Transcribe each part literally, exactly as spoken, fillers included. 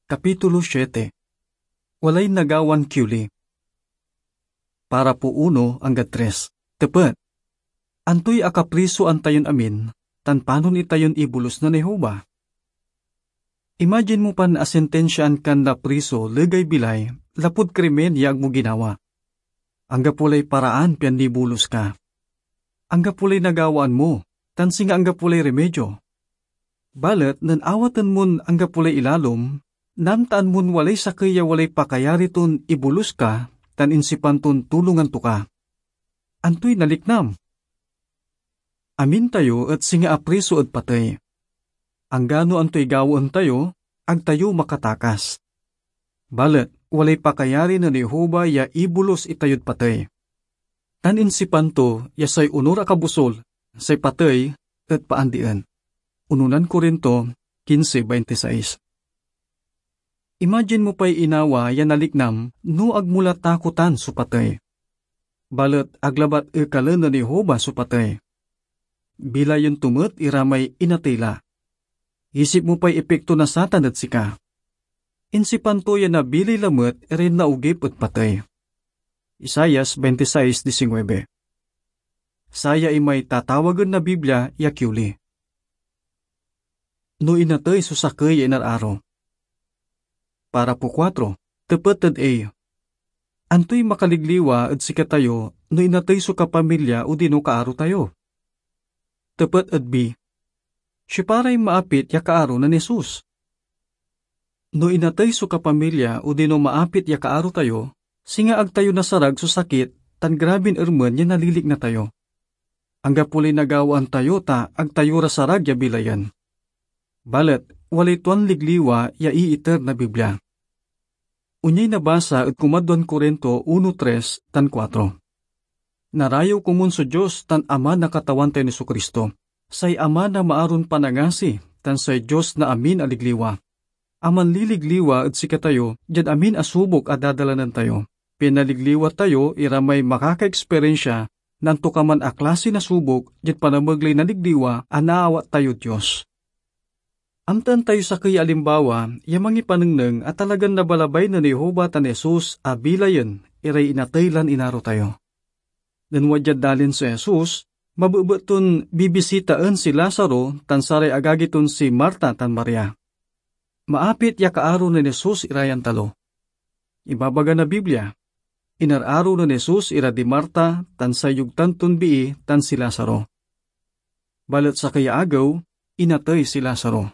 Kapitulo siete. Walay nagawan kioli. Parapo uno anggad tres. Tepet. Antoy akaprisoan tayon amin, tan panon itayon ibolus nen Jehovah? Imagine mo pan asentensiaan kan napriso legay bilay lapud krimen ya ag mo ginawa. Anggapo lay paraan pian nibolus ka. Anggapo lay nagawaan mo, tan singa anggapo lay rimedyo. Balet nen awaten mon anggapo lay ilalom, naamtaan mon walay sakey ya walay pakayari ton ibolus ka tan insipan ton tulongan to ka. Antoy naliknam? Amin tayo et singa apriso ed patey. Anggano antoy gawaen tayo, ag tayo makatakas. Balet walay pakayari nen Jehovah ya ibolus itayod patey. Tan insipan to ya say onur a kabusol, say patey, et paandien. Unonan Corinto quince veintiseis. Imagine mo pay inawa ya naliknam no ag mo la takotan so patey. Balet ag labat ekalen nen Jehovah so patey. Bilayen to met ira may inatey la. Isip mo pay epekto na Satan ed sika. Insipan to ya nabilay lamet iray naogip ed patey. Isaias veintiseis diecinueve. Saya imay tatawagen na Biblia ya kioli. No inatey so sakey ya inar-aro. Parapo kuatro, tepet ed A. Antoy makaligliwa ed sikatayo no inatey so kapamilya odino kaaro tayo? Tepet ed B. Siopa ray maapit ya kaaro nen Jesus? No inatey so kapamilya odino maapit ya kaaro tayo, singa ag tayo nasarag so sakit tan grabin ermen ya nalilikna tayo. Anggapo lay nagawaan tayo ta ag tayo ra sarag ya bilayen. Balet walay tuan ligliwa ya iiter na Biblia. Onyay nabasa ed kumadwan Corinto uno tres tan kuatro. Narayew komun so Dios tan Ama na Katawan tayon Jesu-Cristo, say Ama na maaron panangasi tan say Dios na amin a ligliwa, a manliligliwa ed sikatayo diad amin a subok a dadalanen tayo, pian naligliwa tayo ira may makakaeksperensia na antokaman a klasi na subok diad panamegley na ligliwa a naawat tayod Dios. Amtaen tayo sakey ya alimbawa ya mangipanengneng a talagan nabalabay nen Jehovah tan Jesus a bilayen iray inatey lan inaro tayo. Nen wadyad dalin so Jesus, mabebet ton bibisitaen si Lazaro tan saray agagi ton si Marta tan Maria. Maapit ya kaaro nen Jesus ira yan talo. Ibabaga na Biblia, inar-aro nen Jesus ira di Marta tan say yogtan ton bii tan si Lazaro. Balet sakey ya agew, inatey si Lazaro.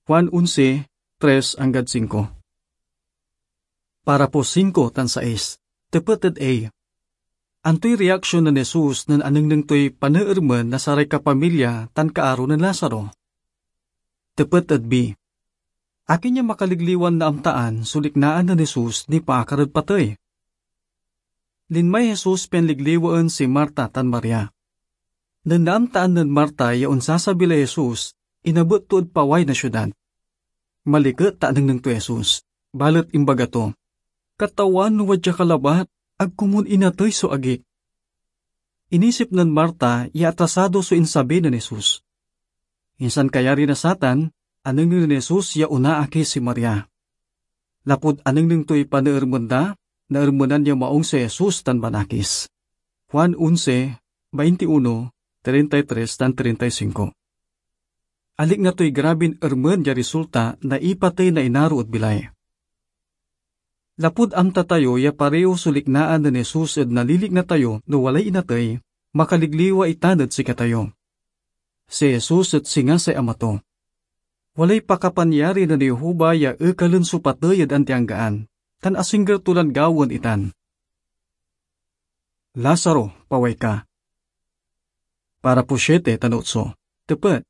Juan onse, tres anggad singko. Parapo singko tan sais, tepet ed A. Antoy reaksion nen Jesus nen anengneng toy paneermen na saray kapamilya tan kaaro nen Lazaro? Tepet ed B. Akin ya makaligliwan naamtaan so liknaan nen Jesus nipaakar ed patey? Linmay Jesus pian ligliwaen si Marta tan Maria. Nen naamtaan nen Marta ya onsasabi lay Jesus, inabet to ed paway na siudad. Maliket ta anengneng toy Jesus, balet imbaga to, "Katawan, no wadya ka labat, ag komun inatey so agik." Inisip nen Marta ya atrasado so insabi nen Jesus. Insan kayari na satan, anengneng nen Jesus ya onaakis si Maria. Lapud anengneng toy paneermen da, naermenan ya maong si Jesus tan banakis. Juan onse, veintiuno, treinta y tres tan treinta y cinco. Alikna toy grabin ermen ya risulta na ipatey na inaro ed bilay. Lapud amta tayo ya pareho so liknaan nen Jesus ed nalilikna tayo no walay inatey, makaligliwa itan ed sikatayo. Si Jesus et singa say Ama to. Walay pakapanyari nen Jehovah ya ekalen so patey ed antianggaan, tan asingger to lan gawaen itan. Lazaro, paway ka. Parapo siete tan otso. Tepet.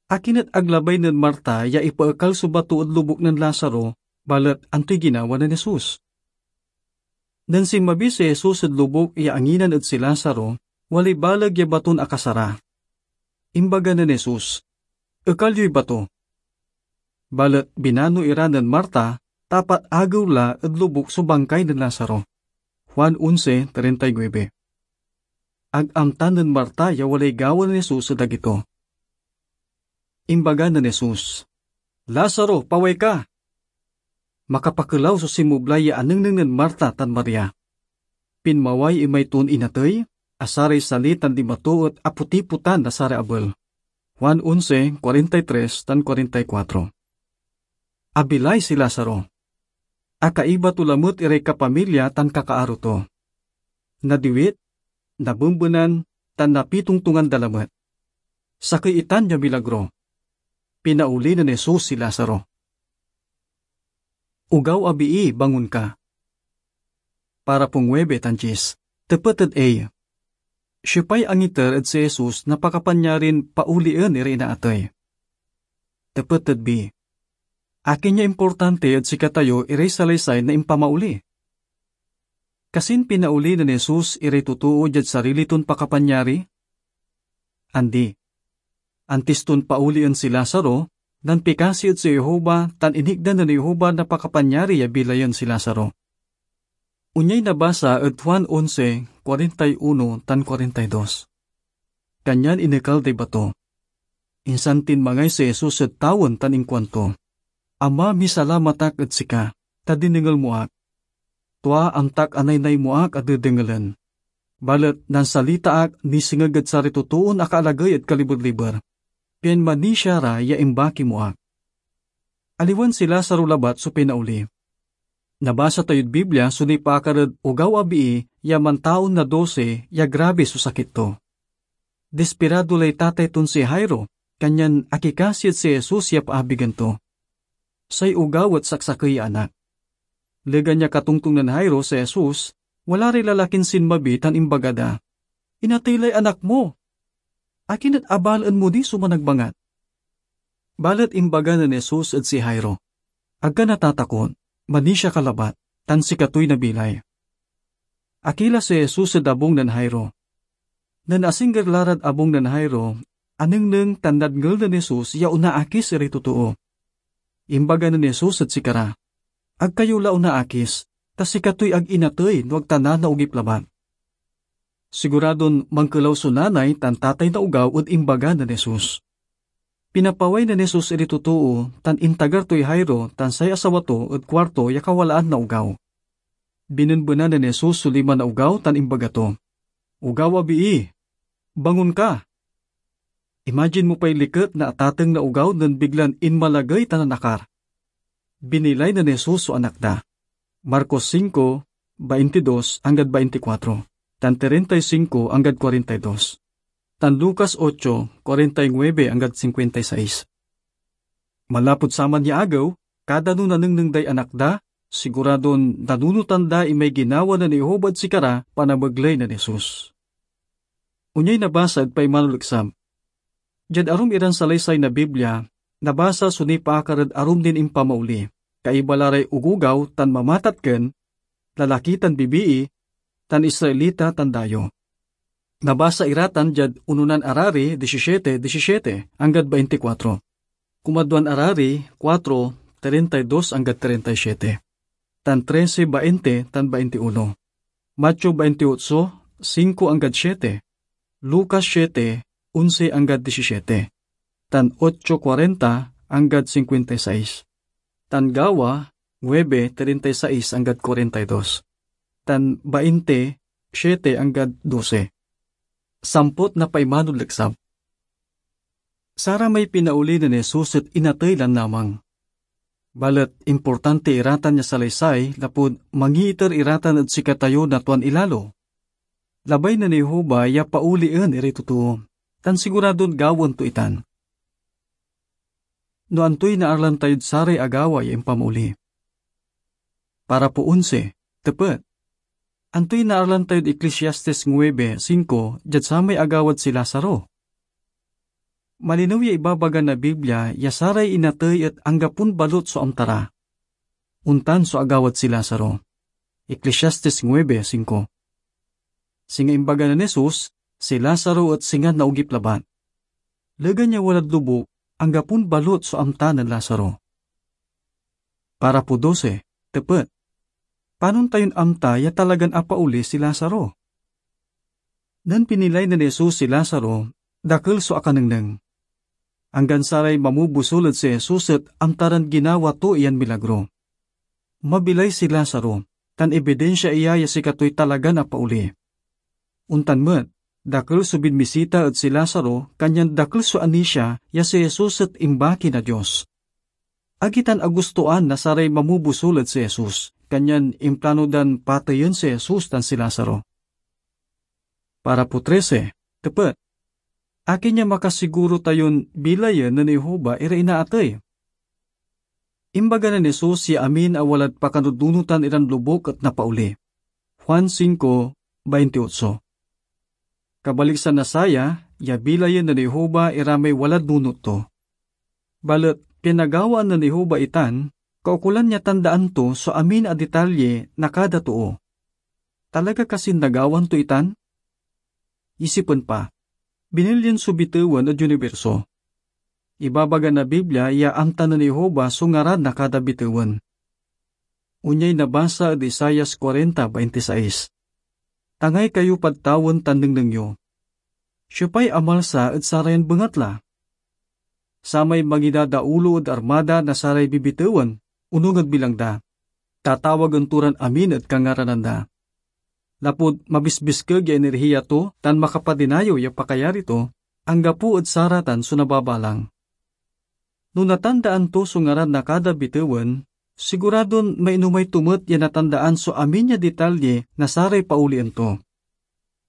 Akin et ag labay nen Marta ya ipaekal so bato ed lobuk nen Lazaro, balet antoy ginawa nen Jesus? Nen sinmabi si Jesus ed lobuk ya anginan ed si Lazaro, walay baleg ya baton akasara. Imbaga nen Jesus, "Ekal yoy bato." Balet binano ira nen Marta, ta apat agew la ed lobuk so bangkay nen Lazaro. Juan onse treinta y nueve. Ag amta nen Marta ya walay gawa nen Jesus ed agi to. Imbaga nen Jesus, "Lazaro, paway ka!" makapakelaw so sinmoblay ya anengneng nen Marta tan Maria. Pinmaway imay toon inatey, a saray sali tan lima to et apotipotan na saray abel. Juan onse, kuarenta y tres tan kuarenta y kuatro. Abilay si Lazaro. Akaiba to lamet iray kapamilya tan kakaaro to. Nadiwit, nabembenan, tan napitongtongan da lamet. Sakey itan ya milagro. Pinaoli nen Jesus si Lazaro. Ogaw a bii, bangon ka. Parapo nuebe tan dies. Tepet ed A. Siopay angiter ed si Jesus na pakapanyarin paolien iray inaatey? Tepet ed B. Akin ya importante ed sikatayo iray salaysay na impamaoli? Kasin pinaoli nen Jesus iray totoo diad sarili ton pakapanyari? Andi. Antis ton paolien si Lazaro, nanpikasi ed si Jehovah tan initdan nen Jehovah na pakapanyari ya bilayen si Lazaro. Onyay nabasa ed Juan onse, kuarenta y uno tan kuarenta y dos. Kanyan inekal day bato. Insan tinmangay si Jesus ed tawen tan inkuanto, "Ama, misalamat ak ed sika, ta dinengel mo ak. Tua amtak a naynay mo ak a dedengelen. Balet nansalita ak nisengeg ed saray totoon akaalagey ed kaliber-liber, pian manisia ra ya imbaki mo ak." Aliwan si Lazaro labat so pinaoli. Nabasa tayod Biblia so nipaakar ed ogaw a bii ya mantaon na dose ya grabe so sakit to. Dispirado lay tatay ton si Jairo, kanyan akikasi ed si Jesus ya paabigen to. Say ogaw et saksakey ya anak. Legan ya katongtong nen Jairo si Jesus, wala ray lalakin sinmabi tan imbaga da, "Inatey lay anak mo! Akin et abalaen mo ni so managbangat?" Balet imbaga nen Jesus ed si Jairo, "Ag ka natatakot, manisia ka labat, tan sikatoy nabilay." Akila si Jesus ed abung nen Jairo. Nen asingger la rad abung nen Jairo, anengneng tan nadngel nen Jesus ya onaakis iray totoo. Imbaga nen Jesus ed sikara, "Ag kayo la onaakis, ta sikatoy ag inatey no ag ta nanaogip labat." Siguradon mankelaw so nanay tan tatay na ogaw ed imbaga nen Jesus. Pinapaway nen Jesus iray totoo tan intagar toy Jairo tan say asawa to ed kuarto ya kawalaan na ogaw. Binenbenan nen Jesus so lima na ogaw tan imbaga to, "Ogaw a bii, bangon ka!" Imagine mo pay liket na atateng na ogaw nen biglan inmalagey tan nanakar. Binilay nen Jesus so anak da. Marcos singko, baintidos anggad baintikuatro, tan treinta y cinco anggad kuarenta y dos, tan Lucas ocho, kuarenta y nuebe anggad cincuenta y seis. Manlapud saman ya agew, kada no nanengneng day anak da, siguradon nanunotan da imay ginawa nen Jehovah ed sikara panamegley nen Jesus. Onyay nabasa ed paimanoleksab. Diad arum iran salaysay na Biblia, nabasa so nipaakar ed arum nin impamaoli, kaiba la ray ogogaw tan mamatatken, lalaki tan bibii, tan Israelita tan dayo. Nabasa ira tan diad Ononan Arari disisiete disisiete anggad baintikuatro, Kumadwan Arari kuatro, treinta y dos anggad treinta y siete, tan trese bainte tan baintiuno, Mateo baintiotso, singko anggad siete, Lucas siete, onse anggad disisiete, tan ocho kuarenta anggad cincuenta y seis, tan Gawa nuebe, treinta y seis anggad kuarenta y dos, tan bainte, siete anggad dose. Sampot na paimanod leksab. Saramay pinaoli nen Jesus et inatey lan lamang. Balet importante ira tan ya salaysay lapud mangiiter ira tan ed sikatayo na tuan ilalo. Labay nen Jehovah ya paolien iray totoo, tan siguradon gawaen to itan. No antoy naarlan tayod saray agawa ya impamaoli? Parapo onse, tepet. Antoy naarlan tayod Eclesiastes nuebe singko diad samay agawad si Lazaro? Malinew ya ibabaga na Biblia ya saray inatey et anggapon balut so amta ra. Ontan so agawad si Lazaro. Eclesiastes nuebe singko. Singa imbaga nen Jesus, si Lazaro et singa naogip labat. Legan ya walad lobuk, anggapon balut so amta nen Lazaro. Parapo dose, tepet. Panon tayon amta ya talagan apaoli si Lazaro? Nen pinilay nen Jesus si Lazaro, dakel so akanengneng. Anggan saray mamobusol ed si Jesus et amta ran ginawa to iyan milagro. mabilay si Lazaro, tan ebidinsia iya ya sikatoy talagan apaoli. Ontan met, dakel so binmisita ed si Lazaro, kanyan dakel so anisia ya si Jesus et imbaki na Dios. Agi tan agustoan na saray mamobusol ed si Jesus, kanyan implano dan pateyen si Jesus tan si Lazaro. Parapo trese, tepet, akin ya makasiguro tayon bilayen nen Jehovah iray inaatey? Imbaga nen Jesus ya amin a walad pakanununotan iran lobuk et napaoli. Juan singko baintiotso. Kabaliksan na saya, ya bilayen nen Jehovah ira may walad nunot to. Balet pinagawaan nen Jehovah itan, kaukolan ya tandaan to so amin a detalye na kada too. Talaga kasin nagawan to itan? Isipen pa, binilyen so bitewen ed uniberso. Ibabaga na Biblia ya amta nen Jehovah so ngaran na kada bitewen. Onyay nabasa ed Isaias kuarenta baintisais, "Tangay kayo pad tawen tan nengneng yo. Siopay amalsa ed sarayan bengatla? Samay mangidadaulo ed armada na saray bibitewen, onung ed bilang da. Tatawagen to ran amin ed kangaranan da. Lapud mabisbiskeg ya enerhiya to tan makapadinayew ya pakayari to, anggapo ed saratan so nababalang." No natandaan to so ngaran na kada bitewen, siguradon mainomay to met ya natandaan so amin ya detalye na saray paolien to.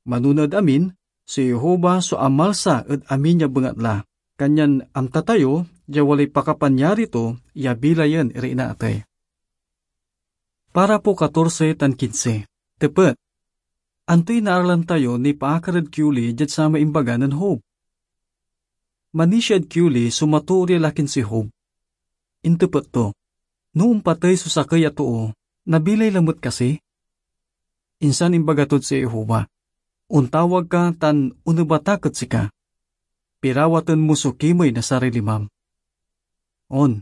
Manona ed amin, si Jehovah so amalsa ed amin ya bengatla, kanyan amta tayo ya walay pakapanyari to ya bilayen iray inaatey. Parapo katorse tan kinse. Tepet, antoy naaralan tayo nipaakar ed kioli diad samay imbaga nen Job? Manisia ed kioli so matoor ya lakin si Job. Intepet to, "No ompatey so sakey a too, nabilay lamet kasi?" Insan imbaga tod si Jehovah, "Ontawag ka tan onebat ak ed sika. Pirawaten mo so kimey na saray limam." On,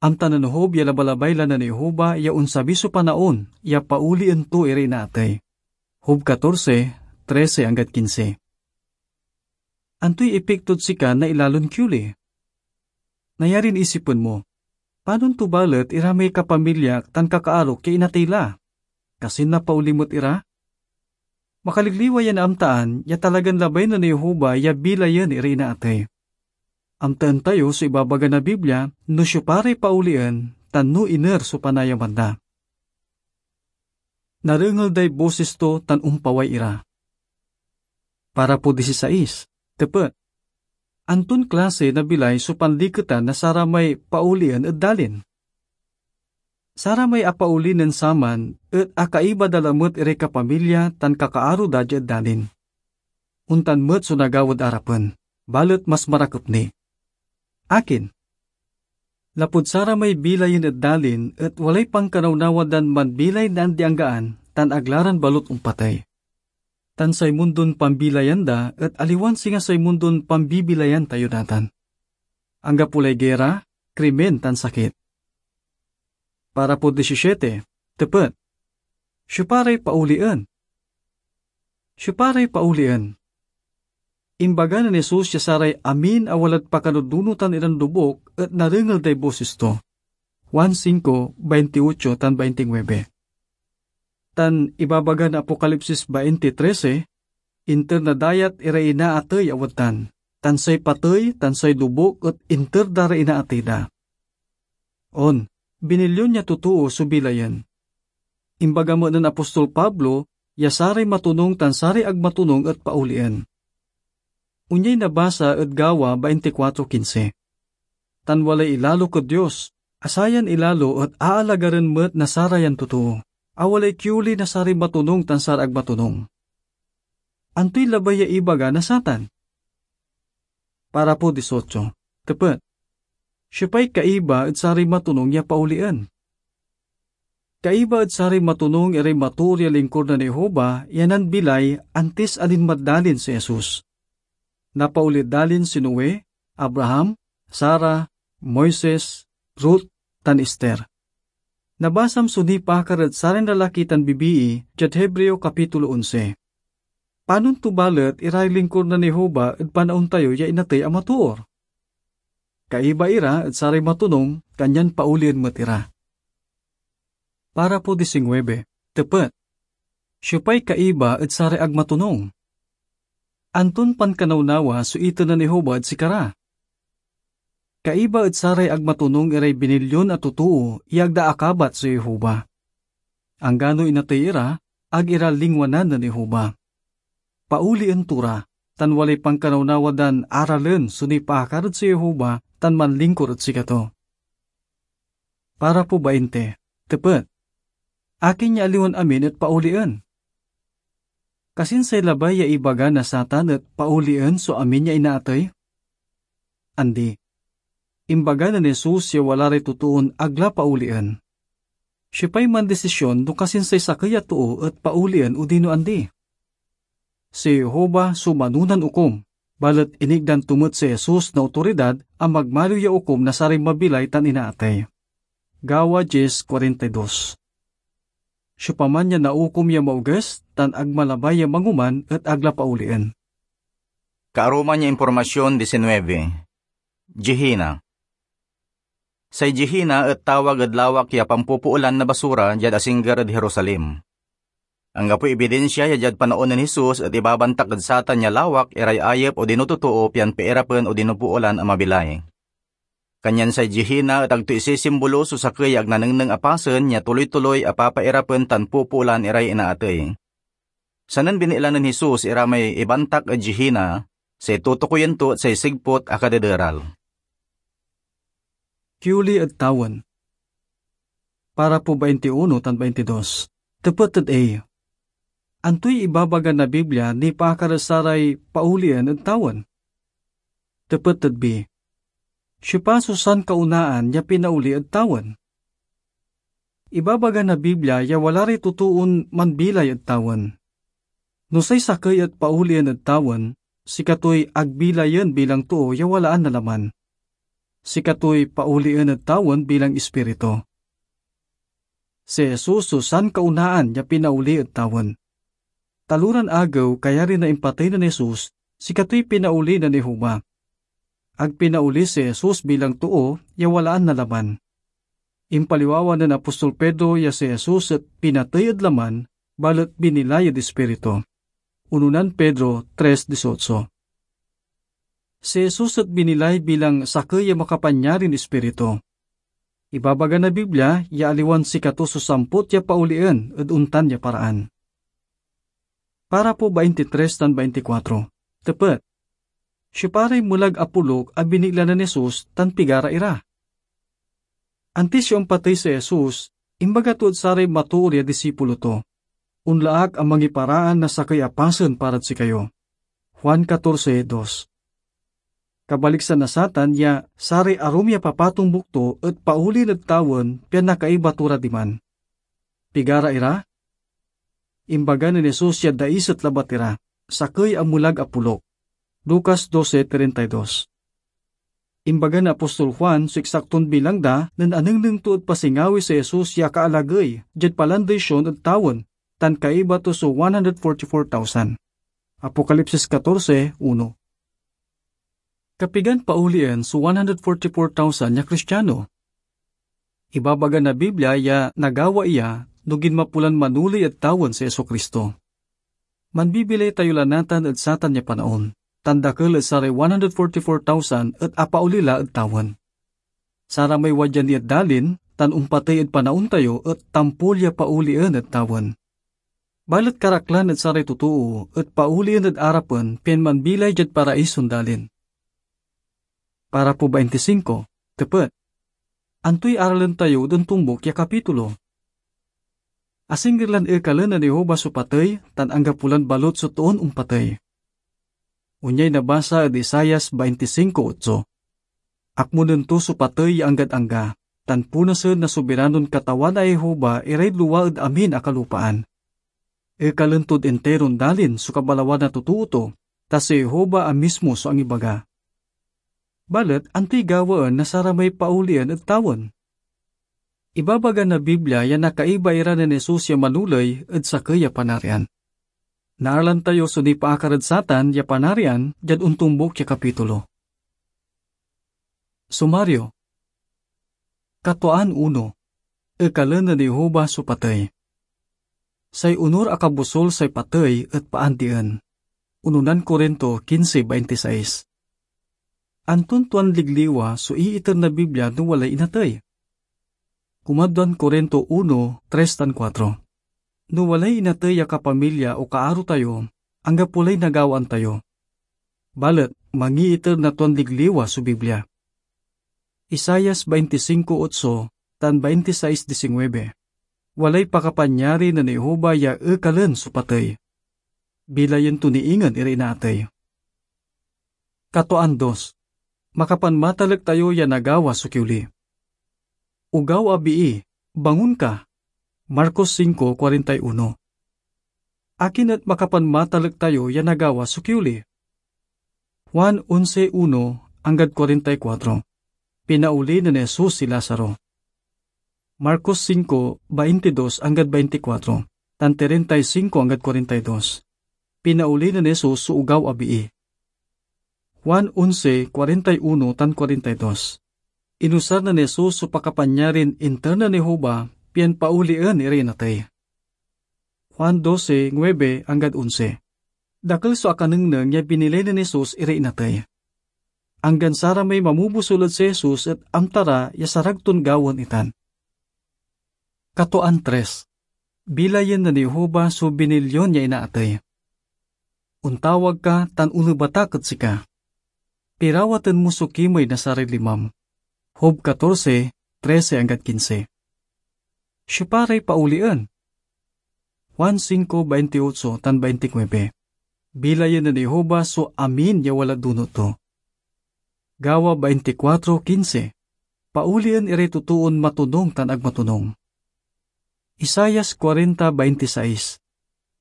amta nen Job ya labalabay la nen Jehovah ya onsabi so panaon ya paolien to iray inaatey. Job katorse, trese anggad kinse. Antoy ipiktod sika na ilalon kioli? Nayarin isipen mo, "Panon to balet ira may kapamilyak tan kakaarok ya inatey la? Kasin napaoli met ira?" Makaligliwa ya naamtaan ya talagan labay nen Jehovah ya bilayen iray inaatey. Amtaen tayo so ibabaga na Biblia no siopa ray paolien tan no iner so panayaman da. Narengel day bosis to tan ompaway ira. Parapo disisais, tepet, anton klase na bilay so panliketan na saramay paolien ed dalin? Saramay apaoli nen saman et akaiba da lamet iray kapamilya tan kakaaro da diad dalin. Ontan met so nagawad arapen, balet mas marakep ni. Akin? Lapud saramay bilayen ed dalin et walay pankanawnawa dan manbilay na andi-anggaan tan ag la ran balut ompatey. Tan say mundon pambilayan da et aliwan singa say mundon pambibilayan tayo natan. Anggapo lay gera, krimen, tan sakit. Parapo disisiete, tepet, siopa ray paolien? Siopa ray paolien? Imbaga nen Jesus ya saray amin a walad pakanununotan iran lobuk et narengel day bosis to. Juan singko, baintiotso tan baintinuebe. Tan ibabaga na Apokalipsis bainti trese, "Inter na dayat iray inaatey a wadtan, tan say patey tan say lobuk et inter da ray inaatey da." On, binilyon ya totoo so bilayen. Imbaga met nen apostol Pablo ya saray matonung tan saray ag matonung et paolien. Onyay nabasa ed Gawa baintikwatro kinse, "Tan walay ilalok ed Dios, a sayan ilalo et aalagaren met na sarayan totoo, a walay kioli na saray matonung tan saray ag matonung." Antoy labay ya ibaga na satan? Parapo disotso, tepet, siopay kaiba ed saray matonung ya paolien? Kaiba ed saray matonung iray matoor ya lingkor nen Jehovah ya nanbilay antis a linmad dalin si Jesus. Napaoli ed dalin si Noe, Abraham, Sara, Moises, Ruth, tan Ester. Nabasam so nipaakar ed saran lalaki tan bibii diad Hebreo Kapitulo onse. Panon to balet iray lingkor nen Jehovah ed panaon tayo ya inatey a matoor? Kaiba ira ed saray matonung, kanyan paolien met ira. Parapo disinguebe, tepet. Siopay kaiba ed saray ag matonung? Anton pankanawnawa so iter nen Jehovah ed sikara? Kaiba ed saray ag matonung iray binilyon a totoo ya ag da akabat so Jehovah. Anggano inatey ira, ag ira lingwanan nen Jehovah. Paolien to ra, tan walay pankanawnawa dan aralen so nipaakar ed si Jehovah tan manlingkor ed sikato. Parapo bainte, tepet. Akin ya aliwan amin et paolien? Kasinsay labay ya ibaga na satan et paolien so amin ya inaatey? Andi. Imbaga nen Jesus ya wala ray totoon ag la paolien. Siopay mandisisyon no kasinsay sakey a too et paolien odino andi? Si Jehovah so manonan okum, balet initdan to met si Jesus na otoridad a magmaliw ya okum na saray mabilay tan inaatey. Gawa diez kuarenta y dos. Siopaman ya naukom ya maoges tan ag malabay ya mangoman et ag la paolien. Kaaruman ya impormasyon, diecinueve. Gehenna. Say Gehenna et tawag ed lawak ya pampupoolan na basura diad asingger ed Jerusalem. Anggapoy ebidinsia ya diad panaon nen Jesus et ibabantak ed satan ya lawak iray ayep odino totoo pian piirapen odino poolan a mabilay. Kanyan say Gehenna et agto isisimbolo so sakey ya ag nanengneng a pasen ya tuloy-tuloy a papairapen tan pupoolan iray inaatey. Sanen binitla nen Jesus ira may ibantak ed Gehenna, say tutukoyen to et say sigput a kadederal. Kioli ed tawen. Parapo baintiuno tan baintidos. Tepet ed A. Antoy ibabaga na Biblia nipaakar ed saray paolien ed tawen? Tepet ed B. Siopa so sankaunaan ya pinaoli ed tawen? Ibabaga na Biblia ya wala ray totoon manbilay ed tawen. No say sakey et paolien ed tawen, sikatoy ag bilayen bilang too ya walaan na laman. Sikatoy paolien ed tawen bilang ispiritu. Si Jesus so sankaunaan ya pinaoli ed tawen. Taloran agew, kayari na impatey nen Jesus, sikatoy pinaoli nen Jehovah. Ag pinaoli si Jesus bilang too ya walaan na laman. Impaliwawa nen apostol Pedro ya si Jesus et pinatey ed laman, balet binilay ed ispiritu. Unonan Pedro tres dieciocho. Si Jesus et binilay bilang sakey ya makapanyarin ispiritu. Ibabaga na Biblia ya aliwan sikato so sampot ya paolien ed ontan ya paraan. Parapo baintitres tan baintikuatro. Tepet. Siopa ray melag a polok a binitla nen Jesus tan pigara ira? Antis ya ompatey si Jesus, imbaga tod saray matoor ya disipulo to, "Onla ak a mangiparaan na sakey a pasen parad sikayo." Juan catorce dos. Kabaliksan na satan ya saray arum ya papatombuk to et paolien ed tawen pian nakaiba to ra diman. Pigara ira? Imbaga nen Jesus ya daiset labat ira, sakey a melag a polok. Lucas doce treinta y dos. Imbaga nen apostol Juan so eksakton bilang da nen anengneng to ed pasingawi si Jesus ya akaalagey diad palandey Sion ed tawen, tan kaiba to so one hundred forty-four thousand. Apokalipsis catorce uno. Kapigan paolien so one hundred forty-four thousand ya Kristiano? Ibabaga na Biblia ya nagawa iya no ginmapo lan manoley ed tawen si Jesu-Cristo. Manbibilay tayo la natan ed satan ya panaon, tan dakel ed saray one hundred forty-four thousand et apaoli la ed tawen. Saramay wadya ni ed dalin tan ompatey ed panaon tayo et tampol ya paolien ed tawen. Balet karaklan ed saray totoo et paolien ed arapen pian manbilay diad paraison dalin. Parapo baintisinko, tepet. Antoy aralen tayo ed ontombok ya kapitulo? Asingger lan ekalen nen Jehovah so patey tan anggapo lan balot so toon ompatey. Onyay nabasa ed Isaias baintisinko otso, "Akmonen to so patey ya anggad angga, tan punasen na sobiranon Katawan a Jehovah iray lua ed amin a kalupaan." Ekalen tod interon dalin so kabalawan na totoo to, ta si Jehovah a mismo so angibaga. Balet antoy gawaen na saramay paolien ed tawen? Ibabaga na Biblia ya nakaiba ira nen Jesus ya manoley ed sakey a Panarian. Naaralan tayo so nipaakar ed satan ya Panarian diad ontombok ya kapitulo. Sumario. Katuaan uno. ekalen nen Jehovah so patey. Say onur a kabusol say patey et paandien. Unonan Corinto quince veintiseis. Anton tuan ligliwa so iiter na Biblia no walay inatey? Kumadwan Corinto uno, tres tan kuatro. No walay inatey ya kapamilya o kaaro tayo, anggapo lay nagawaan tayo. Balet, mangiiter na tuan ligliwa so Biblia. Isaias veinticinco ocho tan veintiseis diecinueve. Walay pakapanyari nen Jehovah ya ekalen so patey. Bilayen to ni ingen iray inaatey. Katoan dos. Makapanmatalek tayo ya nagawa so kioli. Ogaw a bii, bangon ka. Marcos cinco cuarenta y uno. Akin et makapanmatalek tayo ya nagawa so kioli? Juan onse uno anggad cuarenta y cuatro. Pinaoli nen Jesus si Lazaro. Marcos cinco, baintidos anggad bainticuatro, tan treinta y cinco anggad cuarenta y dos. Pinaoli nen Jesus so ogaw a bii. Juan onse, cuarenta y uno tan cuarenta y dos. Inusar nen Jesus so pakapanyarin inter nen Jehovah pian paolien iray inatey. Juan doce, nuebe anggad onse. Dakel so akanengneng ya binilay nen Jesus iray inatey. Anggan saramay mamobusol ed si Jesus et amta ra ya sarag ton gawaen itan. Katoan tres. Bilayen nen Jehovah so binilyon ya inaatey. Ontawag ka tan onebat ak ed sika. Pirawaten mo so kimey na saray limam. Job catorce, trece anggad quince. Siopa ray paolien? Juan cinco, baintiotso tan baintinuebe. Bilayen nen Jehovah so amin ya walad dunot to. Gawa bainticuatro quince. Paolien iray totoon matonung tan ag matonung. Isaias cuarenta veintiseis.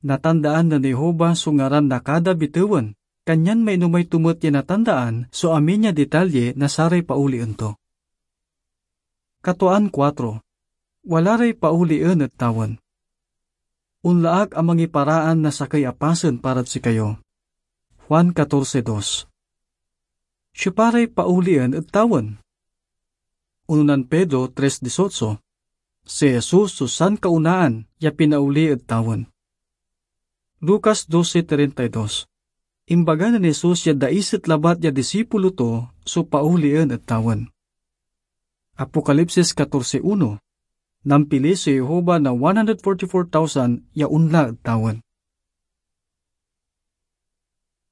Natandaan nen Jehovah so ngaran na kada bitewen, kanyan mainomay to met ya natandaan so amin ya detalye na saray paolien to. Katoan kuatro. Wala ray paolien ed tawen. Onla ak a mangiparaan na sakey a pasen parad sikayo. Juan catorce dos. Siopa ray paolien ed tawen? Unonan Pedro tres dieciocho, si Jesus so sankaonaan ya pinaoli ed tawen. Lucas doce treinta y dos. Imbaga nen Jesus ya daiset labat ya disipulo to so paolien ed tawen. Apocalipsis catorce uno. Nampili si Jehovah na one hundred forty-four thousand ya onla ed tawen.